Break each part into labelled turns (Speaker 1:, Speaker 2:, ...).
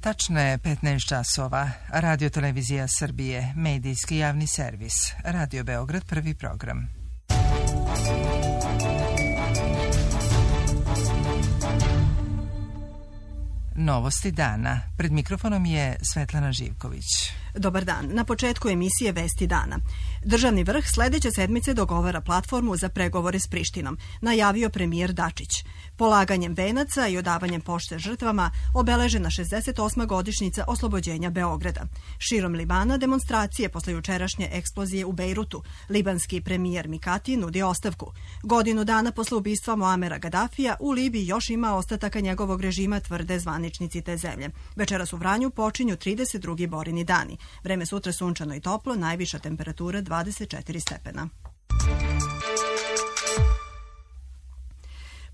Speaker 1: Tačno je 15 časova. Radio Televizija Srbije, medijski javni servis. Radio Beograd, prvi program. Novosti dana. Pred mikrofonom je Svetlana Živković.
Speaker 2: Dobar dan. Na početku emisije Vesti dana. Državni vrh sledeće sedmice dogovara platformu za pregovore s Prištinom, najavio premijer Dačić. Polaganjem venaca i odavanjem pošte žrtvama obeležena 68. godišnjica oslobođenja Beograda. Širom Libana demonstracije posle jučerašnje eksplozije u Bejrutu. Libanski premijer Mikati nudi ostavku. Godinu dana posle ubistva Muamera Gadafija u Libiji još ima ostataka njegovog režima, tvrde zvaničnici te zemlje. Večeras u Vranju počinju 32. borini dani. Vreme sutra sunčano i toplo, najviša temperatura 24 stepena.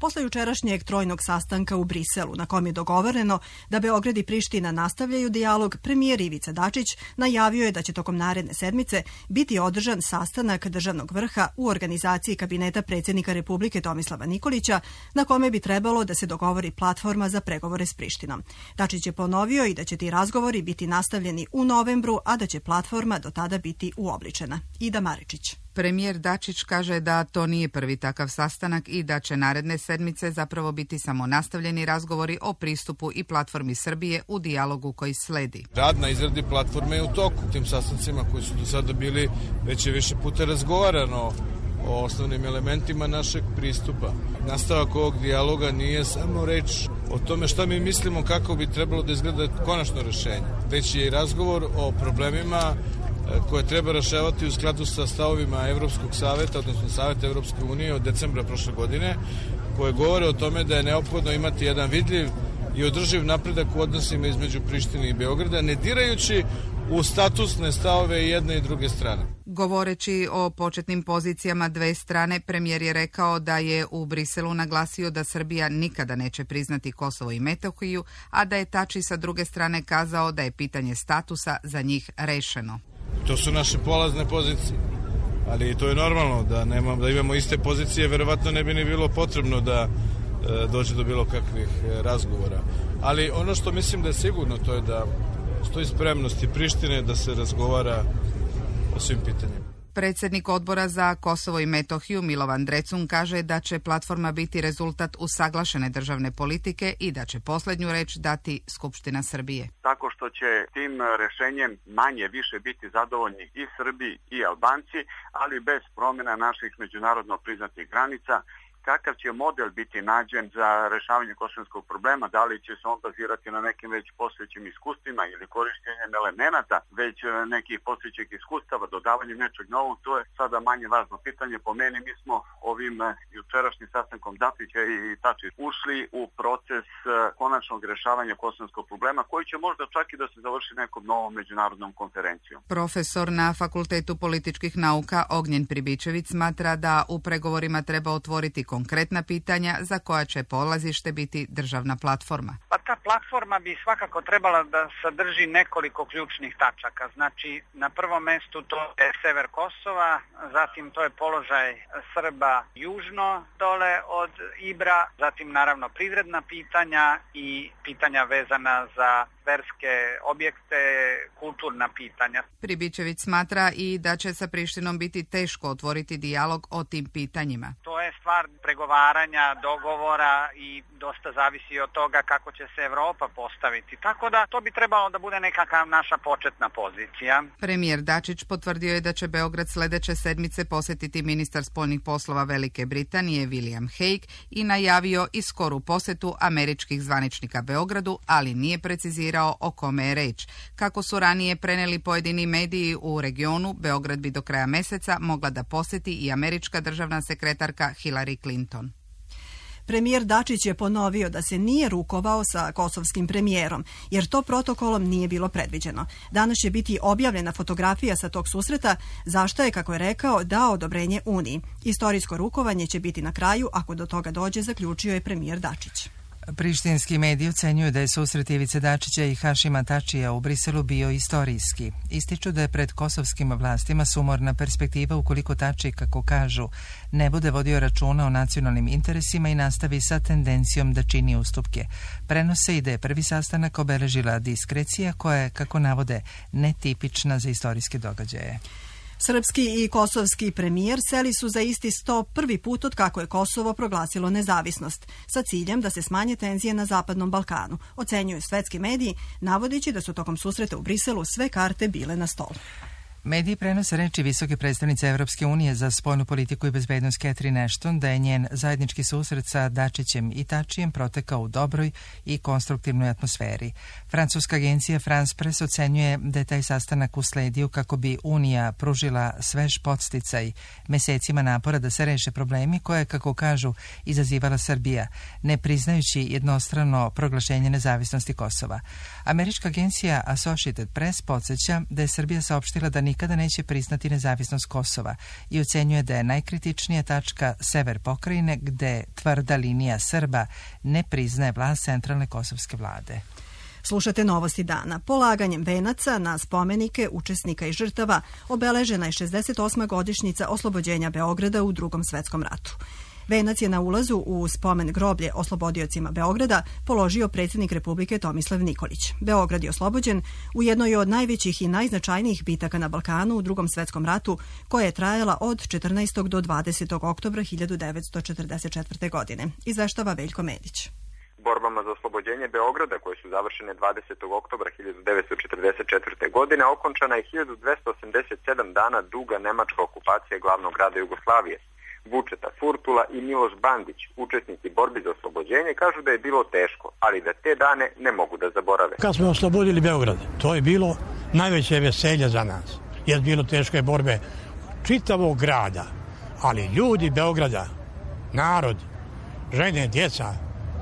Speaker 2: Posle jučerašnjeg trojnog sastanka u Briselu, na kom je dogovoreno da Beograd i Priština nastavljaju dijalog, premijer Ivica Dačić najavio je da će tokom naredne sedmice biti održan sastanak državnog vrha u organizaciji kabineta predsjednika Republike Tomislava Nikolića, na kome bi trebalo da se dogovori platforma za pregovore s Prištinom. Dačić je ponovio i da će ti razgovori biti nastavljeni u novembru, a da će platforma do tada biti uobličena. Ida Maričić.
Speaker 3: Premijer Dačić kaže da to nije prvi takav sastanak i da će naredne sedmice zapravo biti samo nastavljeni razgovori o pristupu i platformi Srbije u dijalogu koji sledi.
Speaker 4: Rad na izradi platforme je u toku. Tim sastancima koji su do sada bili već je više puta razgovarano o osnovnim elementima našeg pristupa. Nastavak ovog dijaloga nije samo reč o tome šta mi mislimo kako bi trebalo da izgleda konačno rešenje, već je i razgovor o problemima koje treba rešavati u skladu sa stavovima Evropskog saveta, odnosno Saveta Evropske unije od decembra prošle godine, koje govore o tome da je neophodno imati jedan vidljiv i održiv napredak u odnosima između Prištine i Beograda, ne dirajući u statusne stavove jedne i druge strane.
Speaker 3: Govoreći o početnim pozicijama dve strane, premijer je rekao da je u Briselu naglasio da Srbija nikada neće priznati Kosovo i Metohiju, a da je Tači sa druge strane kazao da je pitanje statusa za njih rešeno.
Speaker 4: To su naše polazne pozicije, ali to je normalno da imamo iste pozicije, verovatno ne bi ni bilo potrebno da dođe do bilo kakvih razgovora. Ali ono što mislim da je sigurno, to je da stoji spremnosti Prištine da se razgovara o svim pitanjima.
Speaker 3: Predsjednik odbora za Kosovo i Metohiju Milovan Drecun kaže da će platforma biti rezultat usaglašene državne politike i da će posljednju reč dati Skupština Srbije.
Speaker 5: Tako što će tim rešenjem manje više biti zadovoljni i Srbi i Albanci, ali bez promjena naših međunarodno priznatih granica. Kakav će model biti nađen za rešavanje kosovskog problema, da li će se on bazirati na nekim već postojećim iskustvima ili korištenjem elemenata već nekih postojećih iskustava, dodavanjem nečeg novog, to je sada manje važno pitanje. Po meni mi smo ovim jučerašnjim sastankom Dačića i Tači ušli u proces konačnog rešavanja kosovskog problema, koji će možda čak i da se završi nekom novom međunarodnom konferencijom.
Speaker 3: Profesor na Fakultetu političkih nauka Ognjen Pribičević smatra da u pregovorima treba otvoriti konkretna pitanja za koja će polazište biti državna platforma.
Speaker 6: Pa ta platforma bi svakako trebala da sadrži nekoliko ključnih tačaka. Znači, na prvom mestu to je sever Kosova, zatim to je položaj Srba južno dole od Ibra, zatim naravno privredna pitanja i pitanja vezana za verske objekte, kulturna pitanja.
Speaker 3: Pribičević smatra i da će sa Prištinom biti teško otvoriti dijalog o tim pitanjima.
Speaker 6: To je stvar pregovaranja, dogovora i dosta zavisi od toga kako će se Evropa postaviti. Tako da to bi trebalo da bude nekakva naša početna pozicija.
Speaker 3: Premijer Dačić potvrdio je da će Beograd sledeće sedmice posjetiti ministar spoljnih poslova Velike Britanije William Hague i najavio i skoru posetu američkih zvaničnika Beogradu, ali nije precizirao o kome je reč. Kako su ranije preneli pojedini mediji u regionu, Beograd bi do kraja meseca mogla da posjeti i američka državna sekretarka Hillary Clinton.
Speaker 2: Premijer Dačić je ponovio da se nije rukovao sa kosovskim premijerom, jer to protokolom nije bilo predviđeno. Danas će biti objavljena fotografija sa tog susreta, zašto je, kako je rekao, dao odobrenje Uniji. Istorijsko rukovanje će biti na kraju, ako do toga dođe, zaključio je premijer Dačić.
Speaker 1: Prištinski mediji ocenjuju da je susret Ivice Dačića i Hašima Tačija u Briselu bio istorijski. Ističu da je pred kosovskim vlastima sumorna perspektiva ukoliko Tači, kako kažu, ne bude vodio računa o nacionalnim interesima i nastavi sa tendencijom da čini ustupke. Prenose i da je prvi sastanak obeležila diskrecija koja je, kako navode, netipična za istorijske događaje.
Speaker 2: Srpski i kosovski premijer seli su za isti sto prvi put od kako je Kosovo proglasilo nezavisnost, sa ciljem da se smanje tenzije na Zapadnom Balkanu, ocenjuju svetski mediji, navodeći da su tokom susreta u Briselu sve karte bile na stolu.
Speaker 1: Mediji prenose reči visoke predstavnice Evropske unije za spoljnu politiku i bezbednost Catherine Ashton da je njen zajednički susret sa Dačićem i Tačijem protekao u dobroj i konstruktivnoj atmosferi. Francuska agencija France Press ocenjuje da je taj sastanak usledio kako bi Unija pružila svež podsticaj mesecima napora da se reše problemi koje, kako kažu, izazivala Srbija, ne priznajući jednostrano proglašenje nezavisnosti Kosova. Američka agencija Associated Press podsjeća da je Srbija saopštila da nikada neće priznati nezavisnost Kosova i ocenjuje da je najkritičnija tačka sever pokrajine gde tvrda linija Srba ne priznaje vlast centralne kosovske vlade.
Speaker 2: Slušate Novosti dana. Polaganjem venaca na spomenike učesnika i žrtava obeležena je 68. godišnjica oslobođenja Beograda u Drugom svetskom ratu. Venac je na ulazu u spomen groblje oslobodiocima Beograda položio predsjednik Republike Tomislav Nikolić. Beograd je oslobođen u jednoj od najvećih i najznačajnijih bitaka na Balkanu u Drugom svetskom ratu, koja je trajala od 14. do 20. oktobra 1944. godine. Izveštava Veljko Medić.
Speaker 7: Borbama za oslobođenje Beograda, koje su završene 20. oktobra 1944. godine, okončana je 1287 dana duga nemačka okupacija glavnog grada Jugoslavije. Vučeta Furtula i Miloš Bandić, učesnici borbi za oslobođenje, kažu da je bilo teško, ali da te dane ne mogu da zaborave.
Speaker 8: Kad smo oslobodili Beograd, to je bilo najveće veselje za nas, jer bilo teške borbe čitavog grada, ali ljudi Beograda, narod, žene, djeca,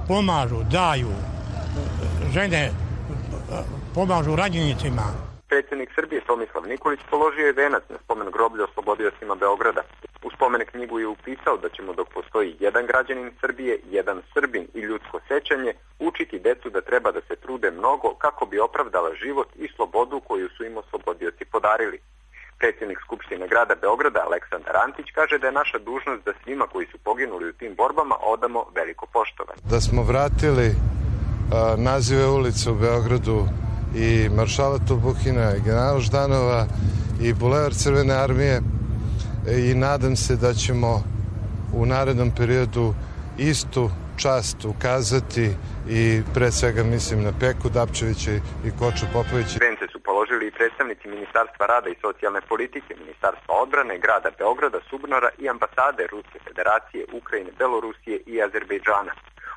Speaker 8: pomažu, daju, žene pomažu ranjenicima.
Speaker 7: Predsjednik Srbije Tomislav Nikolić položio je venac na spomen groblja oslobodiocima Beograda. U spomen knjigu je upisao da ćemo, dok postoji jedan građanin Srbije, jedan Srbin i ljudsko sećanje, učiti decu da treba da se trude mnogo kako bi opravdala život i slobodu koju su im oslobodioci podarili. Predsjednik Skupštine grada Beograda Aleksandar Antić kaže da je naša dužnost da svima koji su poginuli u tim borbama odamo veliko poštovanje.
Speaker 9: Da smo vratili nazive ulica u Beogradu i Maršala Tubuhina i generala Ždanova i Bulevar Crvene armije i nadam se da ćemo u narednom periodu istu čast ukazati i pre svega mislim na Peku Dapčevića i Koču Popovića.
Speaker 7: Vence su položili i predstavnici Ministarstva rada i socijalne politike, Ministarstva odbrane, grada Beograda, Subnora i ambasade Ruske federacije, Ukrajine, Belorusije i Azerbejdžana.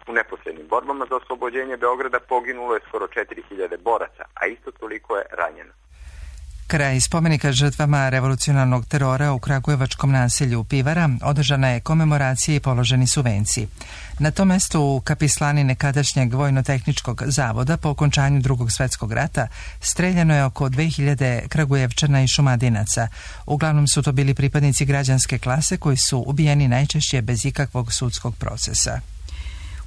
Speaker 7: U neposrednim borbama za oslobođenje Beograda poginulo je skoro 4000 boraca, a isto toliko je ranjeno.
Speaker 1: Kraj spomenika žrtvama revolucionarnog terora u kragujevačkom naselju Pivara održana je komemoracija i položeni su venci. Na tom mestu u kapislani nekadašnjeg vojno-tehničkog zavoda po okončanju Drugog svjetskog rata streljano je oko 2000 Kragujevčana i Šumadinaca. Uglavnom su to bili pripadnici građanske klase koji su ubijeni najčešće bez ikakvog sudskog procesa.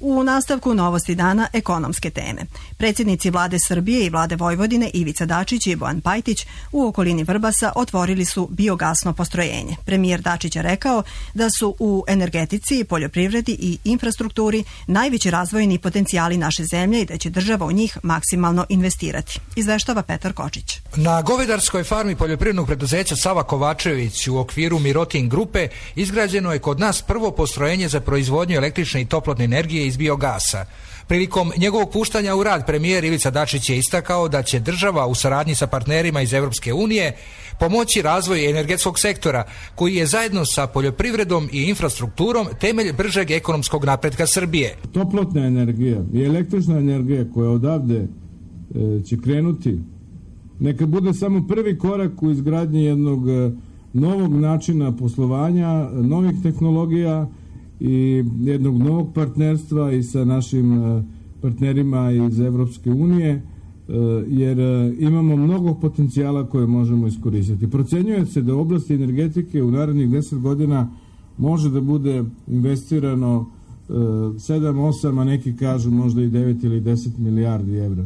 Speaker 2: U nastavku Novosti dana ekonomske teme. Predsjednici vlade Srbije i vlade Vojvodine Ivica Dačić i Bojan Pajtić u okolini Vrbasa otvorili su biogasno postrojenje. Premijer Dačić je rekao da su u energetici, poljoprivredi i infrastrukturi najveći razvojni potencijali naše zemlje i da će država u njih maksimalno investirati. Izveštava Petar Kočić.
Speaker 10: Na govedarskoj farmi poljoprivrednog preduzeća Sava Kovačević u okviru Mirotin grupe izgrađeno je kod nas prvo postrojenje za proizvodnju električne i toplotne energije iz biogasa. Prilikom njegovog puštanja u rad premijer Ivica Dačić je istakao da će država u saradnji sa partnerima iz Evropske unije pomoći razvoju energetskog sektora koji je zajedno sa poljoprivredom i infrastrukturom temelj bržeg ekonomskog napretka Srbije.
Speaker 11: Toplotna energija i električna energija koja odavde će krenuti neka bude samo prvi korak u izgradnji jednog novog načina poslovanja, novih tehnologija i jednog novog partnerstva i sa našim partnerima iz Evropske unije, jer imamo mnogo potencijala koje možemo iskoristiti. Procenjuje se da u oblasti energetike u narednih 10 godina može da bude investirano 7-8, a neki kažu možda i 9 ili 10 milijardi evra.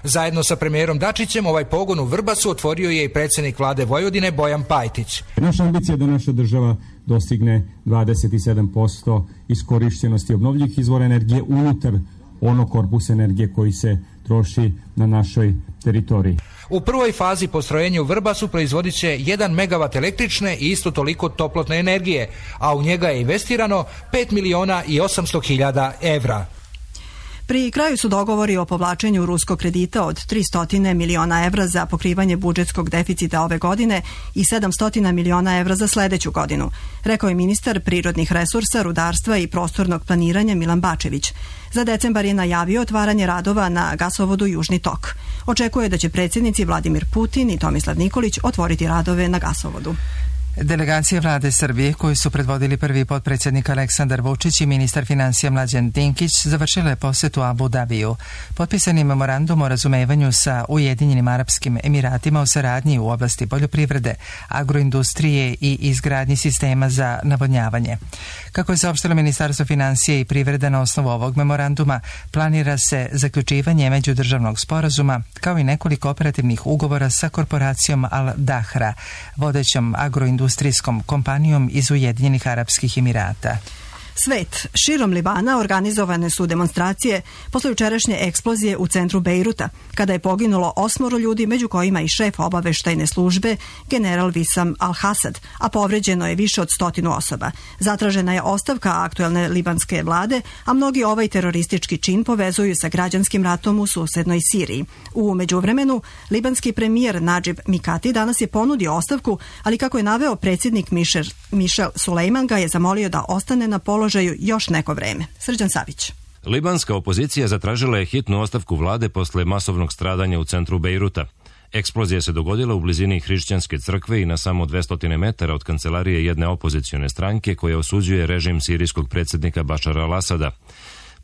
Speaker 10: Zajedno sa premijerom Dačićem ovaj pogon u Vrbasu otvorio je i predsjednik vlade Vojvodine Bojan Pajtić.
Speaker 12: Naša ambicija je da naša država dostigne 27% iskorišćenosti obnovljivih izvora energije unutar onog korpusa energije koji se troši na našoj teritoriji.
Speaker 10: U prvoj fazi postrojenja u Vrbasu proizvodit će 1 megavat električne i isto toliko toplotne energije, a u njega je investirano 5 miliona i 800 hiljada evra.
Speaker 2: Pri kraju su dogovori o povlačenju ruskog kredita od 300 miliona evra za pokrivanje budžetskog deficita ove godine i 700 miliona evra za sledeću godinu, rekao je ministar prirodnih resursa, rudarstva i prostornog planiranja Milan Bačević. Za decembar je najavio otvaranje radova na gasovodu Južni tok. Očekuje da će predsjednici Vladimir Putin i Tomislav Nikolić otvoriti radove na gasovodu.
Speaker 1: Delegacije vlade Srbije, koju su predvodili prvi potpredsjednik Aleksandar Vučić i ministar financija Mlađan Dinkić, završile posetu Abu Dabiju. Potpisani memorandum o razumevanju sa Ujedinjenim Arapskim Emiratima o saradnji u oblasti poljoprivrede, agroindustrije i izgradnji sistema za navodnjavanje. Kako je saopštilo Ministarstvo financija i privrede na osnovu ovog memoranduma, planira se zaključivanje međudržavnog sporazuma, kao i nekoliko operativnih ugovora sa korporacijom Al Dahra, vodećom agroindustrijskom kompanijom iz Ujedinjenih Arapskih Emirata.
Speaker 2: Svet. Širom Libana organizovane su demonstracije posle jučerašnje eksplozije u centru Bejruta, kada je poginulo 8 ljudi, među kojima i šef obaveštajne službe, general Wissam al-Hasad, a povređeno je više od 100 osoba. Zatražena je ostavka aktuelne libanske vlade, a mnogi ovaj teroristički čin povezuju sa građanskim ratom u susednoj Siriji. U međuvremenu, libanski premijer Nadžib Mikati danas je ponudio ostavku, ali kako je naveo predsjednik Mišel Sulejman ga je zamolio da ostane na položaju još neko vreme. Srđan Savić.
Speaker 13: Libanska opozicija zatražila je hitnu ostavku vlade posle masovnog stradanja u centru Bejruta. Eksplozija se dogodila u blizini hrišćanske crkve i na samo 200 metara od kancelarije jedne opozicione stranke koja osuđuje režim sirijskog predsjednika Bašara al-Asada.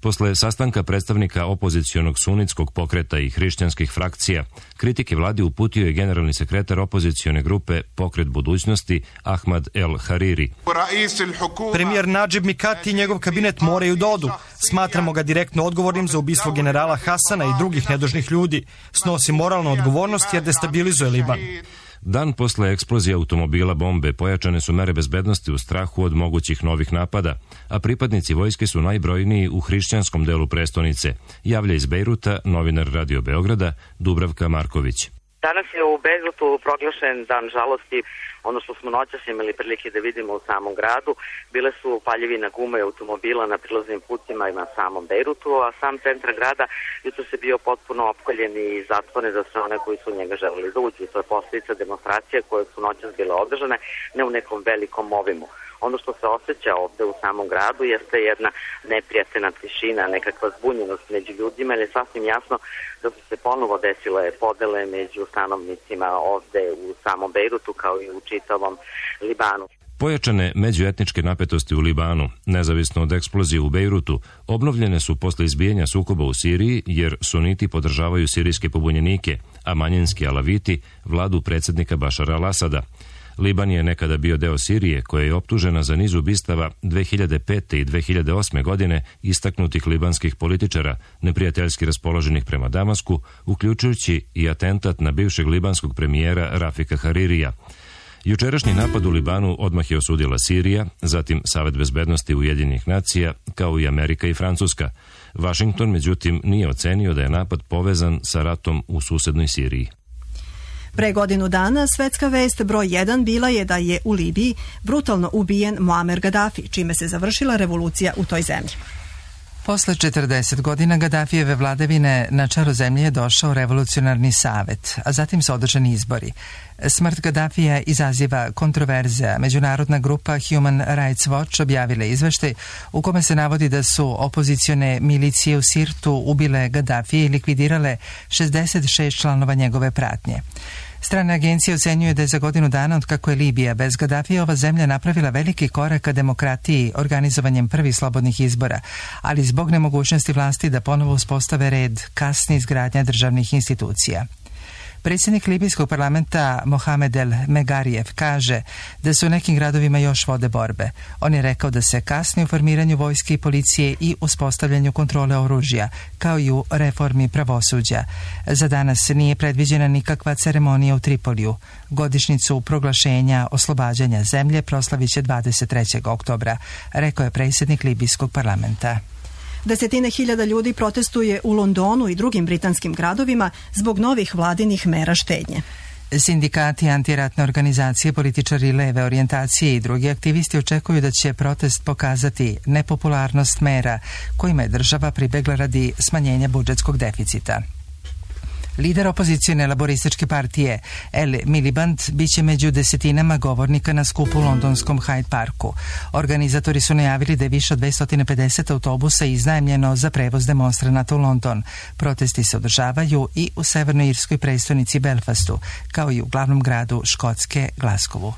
Speaker 13: Posle sastanka predstavnika opozicionog sunitskog pokreta i hrišćanskih frakcija, kritike vladi uputio je generalni sekretar opozicione grupe Pokret budućnosti Ahmad El Hariri.
Speaker 14: Premijer Nadžib Mikati i njegov kabinet moraju da odu. Smatramo ga direktno odgovornim za ubistvo generala Hasana i drugih nedužnih ljudi. Snosi moralnu odgovornost jer destabilizuje Liban.
Speaker 13: Dan posle eksplozije automobila bombe pojačane su mere bezbednosti u strahu od mogućih novih napada, a pripadnici vojske su najbrojniji u hrišćanskom delu prestonice, javlja iz Bejruta novinar Radio Beograda Dubravka Marković.
Speaker 15: Danas je u Bejrutu proglašen dan žalosti. Ono što smo noćas imali prilike da vidimo u samom gradu, bile su paljevina gume automobila na prilaznim putima i na samom Bejrutu, a sam centar grada jutros je bio potpuno opkoljen i zatvoren za sve one koji su u njega želeli da uđu. To je posljedica demonstracije koje su noćas bile održane, ne u nekom velikom obimu. Ono što se osjeća ovde u samom gradu jeste jedna neprijatna tišina, nekakva zbunjenost među ljudima, jer je sasvim jasno da su se ponovo desile podele među stanovnicima ovde u samom Bejrutu kao i u čitavom Libanu.
Speaker 13: Pojačane međuetničke napetosti u Libanu, nezavisno od eksplozije u Bejrutu, obnovljene su posle izbijanja sukoba u Siriji, jer suniti podržavaju sirijske pobunjenike, a manjinski alaviti vladu predsjednika Bašara al-Asada. Liban je nekada bio deo Sirije, koja je optužena za niz ubistava 2005. i 2008. godine istaknutih libanskih političara, neprijateljski raspoloženih prema Damasku, uključujući i atentat na bivšeg libanskog premijera Rafika Haririja. Jučerašnji napad u Libanu odmah je osudila Sirija, zatim Savet bezbednosti Ujedinjenih nacija, kao i Amerika i Francuska. Vašington, međutim, nije ocenio da je napad povezan sa ratom u susednoj Siriji.
Speaker 2: Pre godinu dana svetska vest broj 1 bila je da je u Libiji brutalno ubijen Muamer Gaddafi, čime se završila revolucija u toj zemlji.
Speaker 1: Posle 40 godina Gaddafijeve vladavine na čelo zemlje je došao revolucionarni savet, a zatim su održani izbori. Smrt Gaddafija izaziva kontroverze, a međunarodna grupa Human Rights Watch objavila izveštaj u kome se navodi da su opozicione milicije u Sirtu ubile Gaddafije i likvidirale 66 članova njegove pratnje. Strane agencije ocenjuju da je za godinu dana od kako je Libija bez Gaddafija ova zemlja napravila veliki korak ka demokratiji organizovanjem prvih slobodnih izbora, ali zbog nemogućnosti vlasti da ponovo uspostave red kasni izgradnja državnih institucija. Predsjednik libijskog parlamenta Mohamed El Megarijev kaže da se u nekim gradovima još vode borbe. On je rekao da se kasni u formiranju vojske i policije i uspostavljanju kontrole oružja, kao i u reformi pravosuđa. Za danas nije predviđena nikakva ceremonija u Tripoliju. Godišnjicu proglašenja oslobađanja zemlje proslavit će 23. oktobra, rekao je predsjednik libijskog parlamenta.
Speaker 2: Desetine hiljada ljudi protestuje u Londonu i drugim britanskim gradovima zbog novih vladinih mera štednje.
Speaker 1: Sindikati, antiratne organizacije, političari leve orijentacije i drugi aktivisti očekuju da će protest pokazati nepopularnost mera kojima je država pribegla radi smanjenja budžetskog deficita. Lider opozicione laborističke partije El Miliband biće među desetinama govornika na skupu u londonskom Hyde Parku. Organizatori su najavili da je više od 250 autobusa iznajmljeno za prevoz demonstranata u London. Protesti se održavaju i u severnoirskoj prestonici Belfastu, kao i u glavnom gradu Škotske, Glasgowu.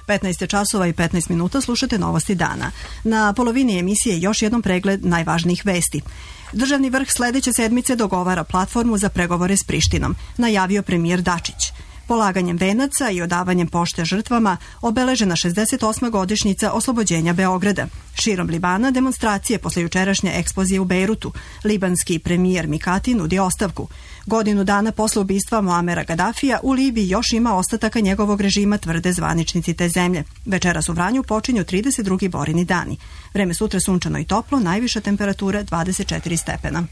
Speaker 2: 15 časova i 15 minuta, slušate novosti dana. Na polovini emisije još jednom pregled najvažnijih vesti. Državni vrh sledeće sedmice dogovara platformu za pregovore s Prištinom, najavio premijer Dačić. Polaganjem venaca i odavanjem pošte žrtvama obeležena 68. godišnjica oslobođenja Beograda. Širom Libana demonstracije posle jučerašnje eksplozije u Bejrutu. Libanski premijer Mikati nudi ostavku. Godinu dana posle ubistva Muamera Gadafija u Libiji još ima ostataka njegovog režima, tvrde zvaničnici te zemlje. Večeras u Vranju počinju 32. borini dani. Vreme sutra sunčano i toplo, najviša temperatura 24 stepena.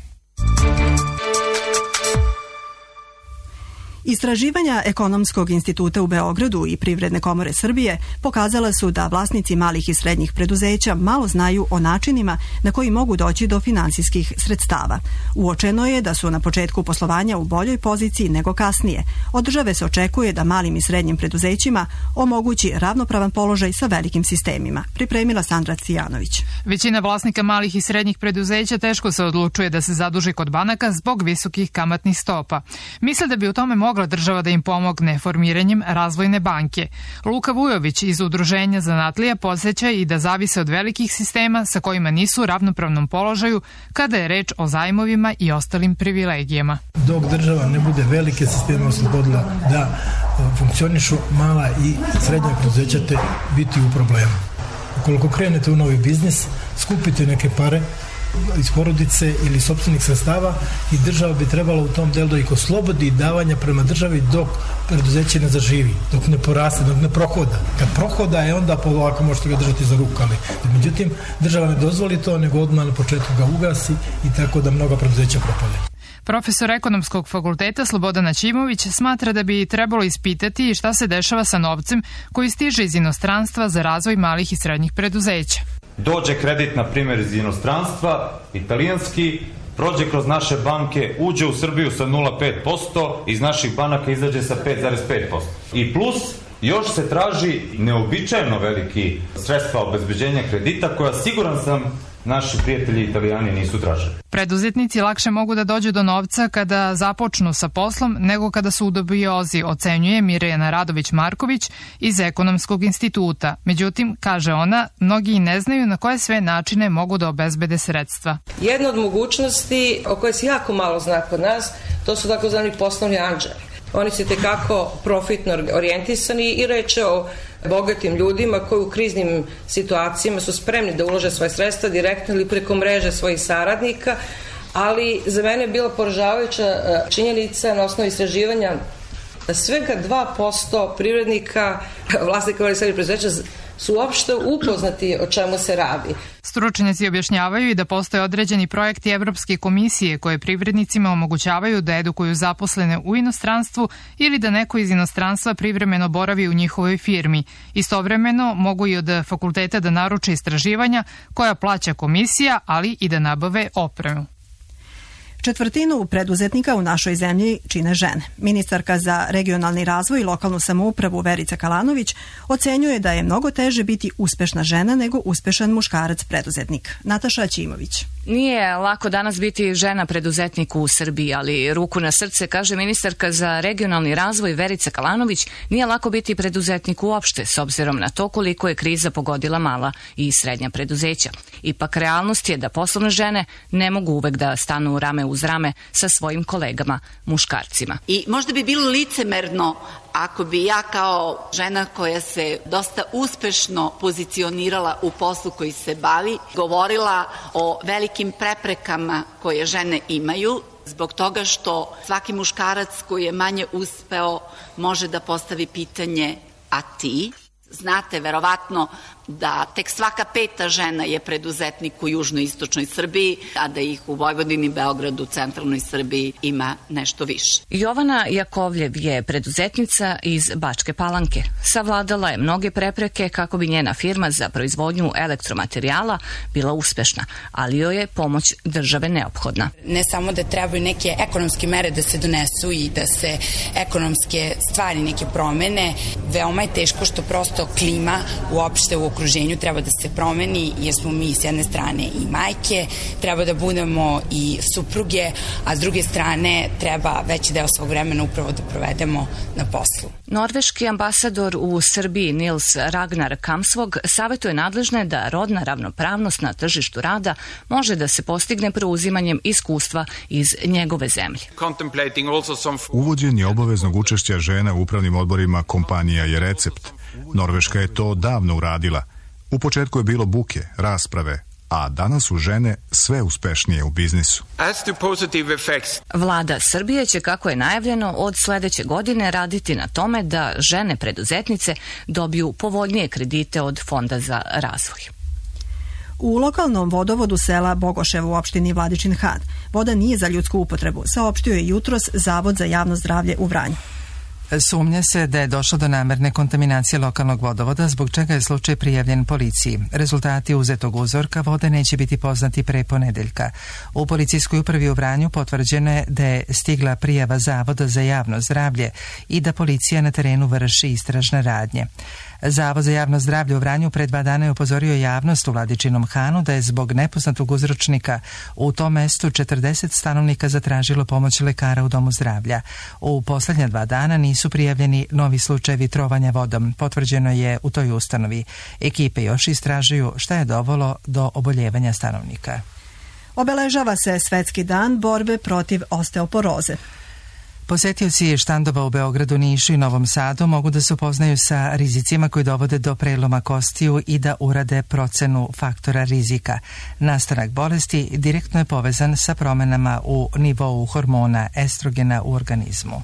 Speaker 2: Istraživanja Ekonomskog instituta u Beogradu i Privredne komore Srbije pokazala su da vlasnici malih i srednjih preduzeća malo znaju o načinima na koji mogu doći do finansijskih sredstava. Uočeno je da su na početku poslovanja u boljoj poziciji nego kasnije. Od države se očekuje da malim i srednjim preduzećima omogući ravnopravan položaj sa velikim sistemima. Pripremila Sandra Cijanović.
Speaker 16: Većina vlasnika malih i srednjih preduzeća teško se odlučuje da se zaduži kod banaka zbog visokih kamatnih stopa. Misle da bi u tome mogla država da im pomogne formiranjem razvojne banke. Luka Vujović iz Udruženja zanatlija podsjeća i da zavise od velikih sistema sa kojima nisu u ravnopravnom položaju kada je reč o zajmovima i ostalim privilegijama.
Speaker 17: Dok država ne bude velike sisteme oslobodila da funkcionišu, mala i srednja preduzeća te biti u problemu. Ukoliko krenete u novi biznis, skupite neke pare iz porodice ili sopstvenih sredstava i država bi trebala u tom delu da ih oslobodi davanja prema državi dok preduzeće ne zaživi, dok ne poraste, dok ne prohoda. Kad prohoda je onda polako možete ga držati za ruku, ali međutim država ne dozvoli to, nego odmah na početku ga ugasi i tako da mnoga preduzeća propade.
Speaker 16: Profesor Ekonomskog fakulteta Slobodan Ćimović smatra da bi trebalo ispitati šta se dešava sa novcem koji stiže iz inostranstva za razvoj malih i srednjih preduzeća.
Speaker 18: Dođe kredit, na primjer, iz inostranstva, italijanski, prođe kroz naše banke, uđe u Srbiju sa 0,5%, iz naših banaka izađe sa 5,5%. I plus, još se traži neobičajno veliki sredstva obezbeđenja kredita, koja siguran sam naši prijatelji Italijani nisu tražili.
Speaker 16: Preduzetnici lakše mogu da dođu do novca kada započnu sa poslom nego kada su u dubiozi, ocenjuje Mirjana Radović-Marković iz Ekonomskog instituta. Međutim, kaže ona, mnogi i ne znaju na koje sve načine mogu da obezbede sredstva.
Speaker 19: Jedna od mogućnosti o kojoj se jako malo zna kod nas, to su takozvani poslovni anđeli. Oni su tekako profitno orijentisani i reče o bogatim ljudima koji u kriznim situacijama su spremni da ulože svoje sredstva direktno ili preko mreže svojih saradnika, ali za mene je bila poražavajuća činjenica na osnovu istraživanja da svega 2% privrednika, vlasnika malih i srednjih preduzeća su uopšte upoznati o čemu se radi.
Speaker 16: Stručnjaci objašnjavaju i da postoje određeni projekti Evropske komisije koje privrednicima omogućavaju da edukuju zaposlene u inostranstvu ili da neko iz inostranstva privremeno boravi u njihovoj firmi. Istovremeno mogu i od fakulteta da naruče istraživanja koja plaća komisija, ali i da nabave opremu.
Speaker 2: Četvrtinu preduzetnika u našoj zemlji čine žene. Ministarka za regionalni razvoj i lokalnu samoupravu Verica Kalanović ocenjuje da je mnogo teže biti uspešna žena nego uspešan muškarac preduzetnik. Nataša Ćimović.
Speaker 20: Nije lako danas biti žena preduzetnik u Srbiji, ali ruku na srce, kaže ministarka za regionalni razvoj Verica Kalanović, nije lako biti preduzetnik uopšte, s obzirom na to koliko je kriza pogodila mala i srednja preduzeća. Ipak realnost je da poslovne žene ne mogu uvek da stanu rame uz rame sa svojim kolegama, muškarcima.
Speaker 21: I možda bi bilo licemerno ako bi ja kao žena koja se dosta uspešno pozicionirala u poslu koji se bavi, govorila o velikim preprekama koje žene imaju, zbog toga što svaki muškarac koji je manje uspeo može da postavi pitanje a ti? Znate verovatno da tek svaka 5. žena je preduzetnik u južnoistočnoj Srbiji, a da ih u Vojvodini, Beogradu, centralnoj Srbiji ima nešto više.
Speaker 20: Jovana Jakovljev je preduzetnica iz Bačke Palanke. Savladala je mnoge prepreke kako bi njena firma za proizvodnju elektromaterijala bila uspešna, ali joj je pomoć države neophodna.
Speaker 22: Ne samo da trebaju neke ekonomske mere da se donesu i da se ekonomske stvari neke promene, veoma je teško što prosto klima uopšte u okruženju treba da se promeni, jer smo mi s jedne strane i majke, treba da budemo i supruge, a s druge strane treba veći deo svog vremena upravo da provedemo na poslu.
Speaker 20: Norveški ambasador u Srbiji Nils Ragnar Kamsvog savjetuje nadležne da rodna ravnopravnost na tržištu rada može da se postigne preuzimanjem iskustva iz njegove zemlje.
Speaker 23: Uvođenje obaveznog učešća žena u upravnim odborima kompanija je recept. Norveška je to davno uradila. U početku je bilo buke, rasprave, a danas su žene sve uspešnije u biznisu.
Speaker 20: Vlada Srbije će, kako je najavljeno, od sledeće godine raditi na tome da žene preduzetnice dobiju povoljnije kredite od Fonda za razvoj.
Speaker 2: U lokalnom vodovodu sela Bogoševo u opštini Vladičin Han voda nije za ljudsku upotrebu, saopštio je jutros Zavod za javno zdravlje u Vranju.
Speaker 1: Sumnja se da je došlo do namerne kontaminacije lokalnog vodovoda, zbog čega je slučaj prijavljen policiji. Rezultati uzetog uzorka vode neće biti poznati pre ponedeljka. U policijskoj upravi u Vranju potvrđeno je da je stigla prijava Zavoda za javno zdravlje i da policija na terenu vrši istražne radnje. Zavod za javno zdravlje u Vranju pre 2 dana je upozorio javnost u Vladičinom Hanu da je zbog nepoznatog uzročnika u tom mestu 40 stanovnika zatražilo pomoć lekara u domu zdravlja. U poslednja 2 dana nisu prijavljeni novi slučajevi trovanja vodom, potvrđeno je u toj ustanovi. Ekipe još istražuju šta je dovelo do oboljevanja stanovnika.
Speaker 2: Obeležava se Svetski dan borbe protiv osteoporoze.
Speaker 1: Posetioci štandova u Beogradu, Nišu i Novom Sadu mogu da se upoznaju sa rizicima koji dovode do preloma kostiju i da urade procenu faktora rizika. Nastanak bolesti direktno je povezan sa promenama u nivou hormona estrogena u organizmu.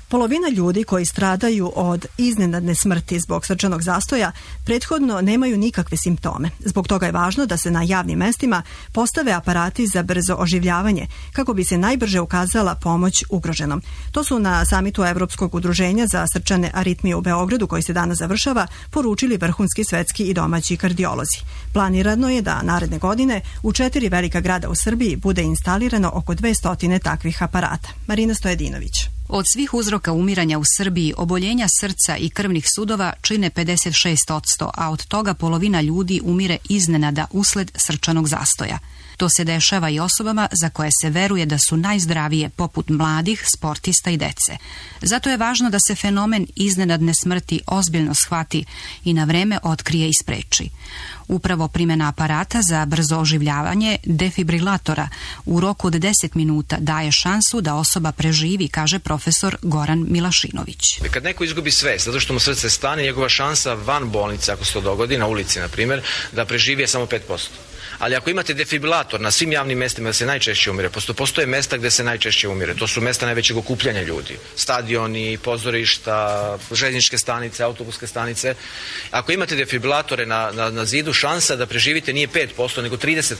Speaker 2: Polovina ljudi koji stradaju od iznenadne smrti zbog srčanog zastoja prethodno nemaju nikakve simptome. Zbog toga je važno da se na javnim mestima postave aparati za brzo oživljavanje kako bi se najbrže ukazala pomoć ugroženom. To su na samitu Evropskog udruženja za srčane aritmije u Beogradu, koji se danas završava, poručili vrhunski svetski i domaći kardiolozi. Planirano je da naredne godine u 4 velika grada u Srbiji bude instalirano oko 200 takvih aparata. Marina Stojedinović.
Speaker 24: Od svih uzroka umiranja u Srbiji, oboljenja srca i krvnih sudova čine 56%, a od toga polovina ljudi umire iznenada usled srčanog zastoja. To se dešava i osobama za koje se veruje da su najzdravije, poput mladih, sportista i dece. Zato je važno da se fenomen iznenadne smrti ozbiljno shvati i na vreme otkrije i spreči. Upravo primjena aparata za brzo oživljavanje, defibrilatora, u roku od 10 minuta daje šansu da osoba preživi, kaže profesor Goran Milašinović.
Speaker 25: Kad neko izgubi svest, zato što mu srce stane, njegova šansa van bolnice, ako se to dogodi, na ulici, na primjer, da preživi je samo 5%. Ali ako imate defibrilator na svim javnim mestima da se najčešće umire, postoje mesta gde se najčešće umire. To su mesta najvećeg okupljanja ljudi. Stadioni, pozorišta, željezničke stanice, autobuske stanice. Ako imate defibrilatore na zidu, šansa da preživite nije 5%, nego 30%.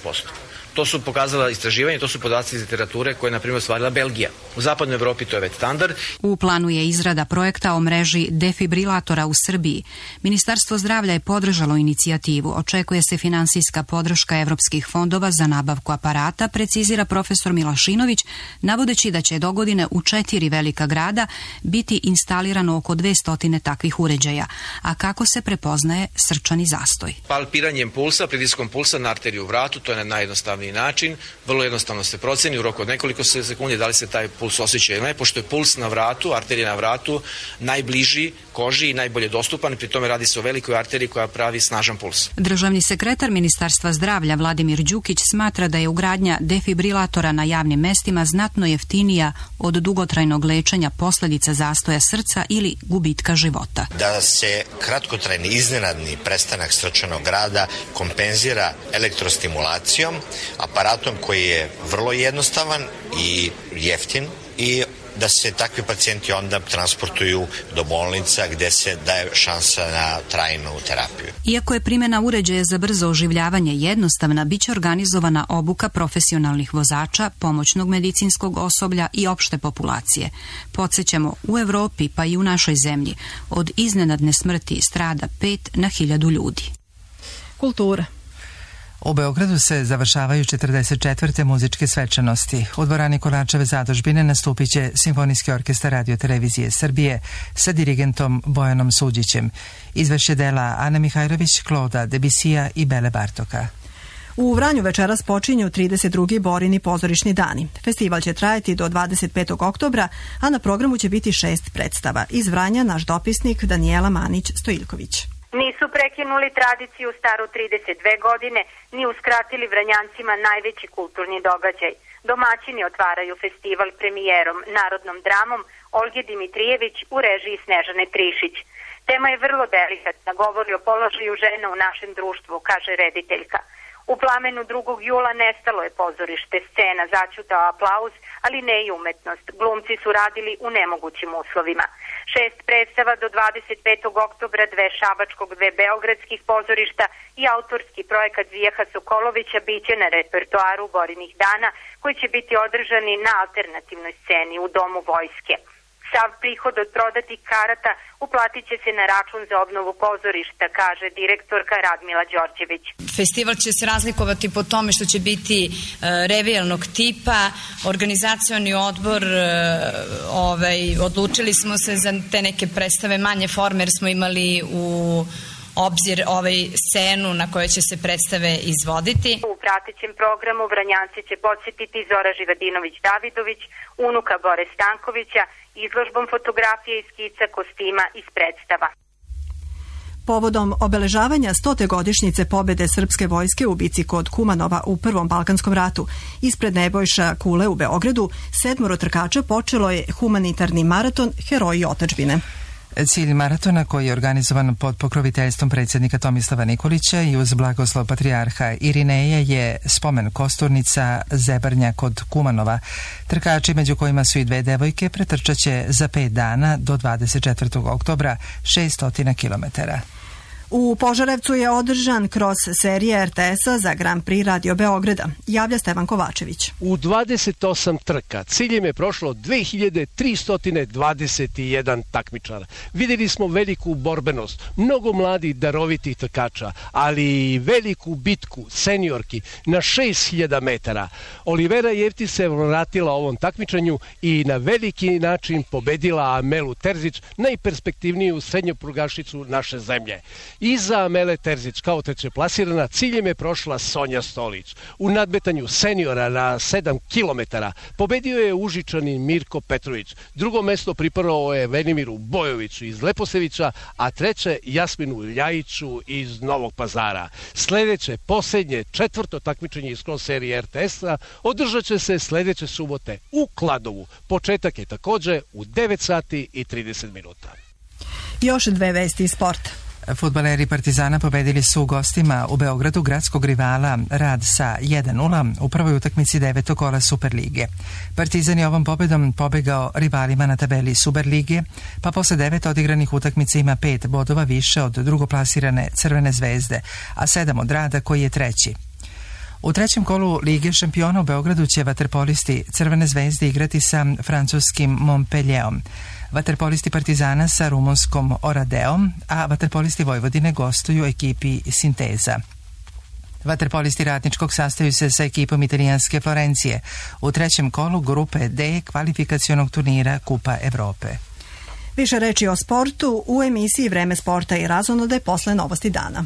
Speaker 25: To su pokazala istraživanje, to su podaci iz literature koje je, na primjer, ostvarila Belgija. U zapadnoj Evropi to je već standard.
Speaker 24: U planu je izrada projekta o mreži defibrilatora u Srbiji. Ministarstvo zdravlja je podržalo inicijativu. Očekuje se finansijska podrška evropskih fondova za nabavku aparata, precizira profesor Milašinović, navodeći da će dogodine u 4 velika grada biti instalirano oko 200 takvih uređaja. A kako se prepoznaje srčani zastoj?
Speaker 25: Palpiranjem pulsa, pritiskom pulsa na arteriju u vratu, to je najjednostavnije najjednostavniji način, vrlo jednostavno se proceni u roku od nekoliko sekundi da li se taj puls osjeća ili ne, pošto je puls na vratu, arterija na vratu, najbliži koži i najbolje dostupan, pri tome radi se o velikoj arteriji koja pravi snažan puls.
Speaker 24: Državni sekretar Ministarstva zdravlja Vladimir Đukić smatra da je ugradnja defibrilatora na javnim mestima znatno jeftinija od dugotrajnog lečenja posljedica zastoja srca ili gubitka života.
Speaker 3: Da se kratkotrajni iznenadni prestanak srčanog rada kompenzira elektrostimulacijom, aparatom koji je vrlo jednostavan i jeftin, i da se takvi pacijenti onda transportuju do bolnica gde se daje šansa na trajnu terapiju.
Speaker 24: Iako je primjena uređaja za brzo oživljavanje jednostavna, bit će organizovana obuka profesionalnih vozača, pomoćnog medicinskog osoblja i opšte populacije. Podsjećamo, u Evropi pa i u našoj zemlji od iznenadne smrti strada 5 na 1000 ljudi.
Speaker 2: Kultura.
Speaker 1: U Beogradu se završavaju 44. muzičke svečanosti. U dvorani Kolarčeve zadužbine nastupit će Simfonijski orkestar Radio Televizije Srbije sa dirigentom Bojanom Suđićem. Izvešće dela Ana Mihajlović, Kloda Debisija i Bele Bartoka.
Speaker 2: U Vranju večeras počinju 32. Borini pozorišni dani. Festival će trajati do 25. oktobra, a na programu će biti 6 predstava. Iz Vranja naš dopisnik Danijela Manić-Stojiljković.
Speaker 4: Nisu prekinuli tradiciju staru 32 godine, ni uskratili Vranjancima najveći kulturni događaj. Domaćini otvaraju festival premijerom, narodnom dramom Olge Dimitrijević u režiji Snežane Trišić. Tema je vrlo delikatna, govori o položaju žena u našem društvu, kaže rediteljka. U Plamenu 2. jula nestalo je pozorište, scena začutao aplauz, ali ne i umetnost. Glumci su radili u nemogućim uslovima. 6 predstava do 25. oktobra, 2 šabačkog, 2 beogradskih pozorišta i autorski projekat Zijeha Sokolovića biće na repertoaru Borinih dana, koji će biti održani na alternativnoj sceni u Domu vojske. Sav prihod od prodatih karata uplatit će se na račun za obnovu pozorišta, kaže direktorka Radmila Đorđević.
Speaker 5: Festival će se razlikovati po tome što će biti revijalnog tipa. Organizacioni odbor, odlučili smo se za te neke predstave manje forme, jer smo imali u obzir scenu na kojoj će se predstave izvoditi.
Speaker 4: U pratećem programu Vranjanci će podsjetiti Zora Živadinović-Davidović, unuka Bore Stankovića, izložbom fotografije i skica kostima iz predstava.
Speaker 2: Povodom obeležavanja 100. godišnjice pobede srpske vojske u bici kod Kumanova u Prvom Balkanskom ratu, ispred Nebojša Kule u Beogradu, 7 trkača počelo je humanitarni maraton Heroji otadžbine.
Speaker 1: Cilj maratona, koji je organizovan pod pokroviteljstvom predsjednika Tomislava Nikolića i uz blagoslov patrijarha Irineja, je spomen kosturnica Zebarnja kod Kumanova. Trkači, među kojima su i 2 devojke, pretrčaće za 5 dana do 24. oktobra 600 kilometara.
Speaker 2: U Požarevcu je održan kroz serije RTS-a za Grand Prix Radio Beograda. Javlja Stevan Kovačević.
Speaker 6: U 28 trka ciljem je prošlo 2321 takmičara. Vidjeli smo veliku borbenost, mnogo mladih darovitih trkača, ali i veliku bitku seniorki na 6000 metara. Olivera Jefti se vratila ovom takmičenju i na veliki način pobedila Amelu Terzić, najperspektivniju srednjoprugašicu naše zemlje. Iza Amele Terzić kao treće plasirana ciljem je prošla Sonja Stolić. U nadmetanju seniora na 7 km pobedio je Užičani Mirko Petrović. Drugo mesto pripadalo je Venimiru Bojoviću iz Leposevića, a treće Jasminu Ljajiću iz Novog Pazara. Sljedeće, posljednje, 4. takmičenje iz cross serije RTS-a održat će se sljedeće subote u Kladovu. Početak je također u 9:30.
Speaker 2: Još 2 vesti iz sporta.
Speaker 1: Fudbaleri Partizana pobedili su u gostima u Beogradu gradskog rivala Rad sa 1:0 u prvoj utakmici 9. kola Superlige. Partizan je ovom pobedom pobegao rivalima na tabeli Superlige, pa posle 9 odigranih utakmica ima 5 bodova više od drugoplasirane Crvene zvezde, a 7 od Rada koji je treći. U trećem kolu Lige šampiona u Beogradu će vaterpolisti Crvene zvezde igrati sa francuskim Montpellierom, vaterpolisti Partizana sa rumunskom Oradeom, a vaterpolisti Vojvodine gostuju ekipi Sinteza. Vaterpolisti Radničkog sastaju se sa ekipom italijanske Florencije u trećem kolu grupe D kvalifikacionog turnira Kupa Evrope.
Speaker 2: Više reči o sportu u emisiji Vreme sporta i razonode posle novosti dana.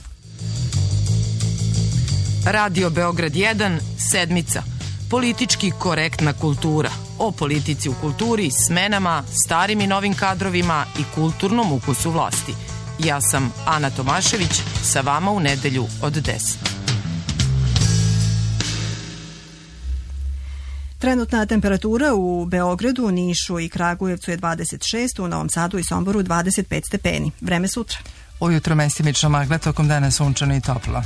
Speaker 7: Radio Beograd 1, sedmica. Politički korektna kultura. O politici u kulturi, smenama, starim i novim kadrovima i kulturnom ukusu vlasti. Ja sam Ana Tomašević, sa vama u nedelju od 10.
Speaker 2: Trenutna temperatura u Beogradu, Nišu i Kragujevcu je 26, u Novom Sadu i Somboru 25 stepeni. Vreme sutra.
Speaker 1: Ujutro mestimično magla, tokom dana sunčano i toplo.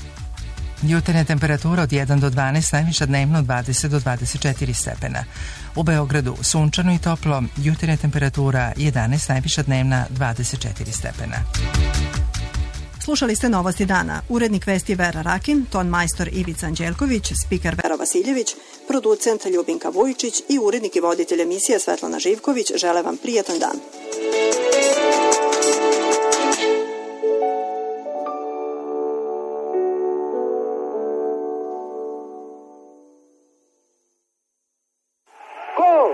Speaker 1: Jutarnja temperatura od 1 do 12, najviša dnevno od 20 do 24 stepena. U Beogradu sunčano i toplo, jutarnja temperatura 11, najviša dnevna 24 stepena.
Speaker 2: Slušali ste Novosti dana. Urednik vesti Vera Rakin, ton majstor Ivica Anđelković, spiker Vera Vasiljević, producent Ljubinka Vujičić i urednik i voditelj emisije Svetlana Živković žele vam prijatan dan.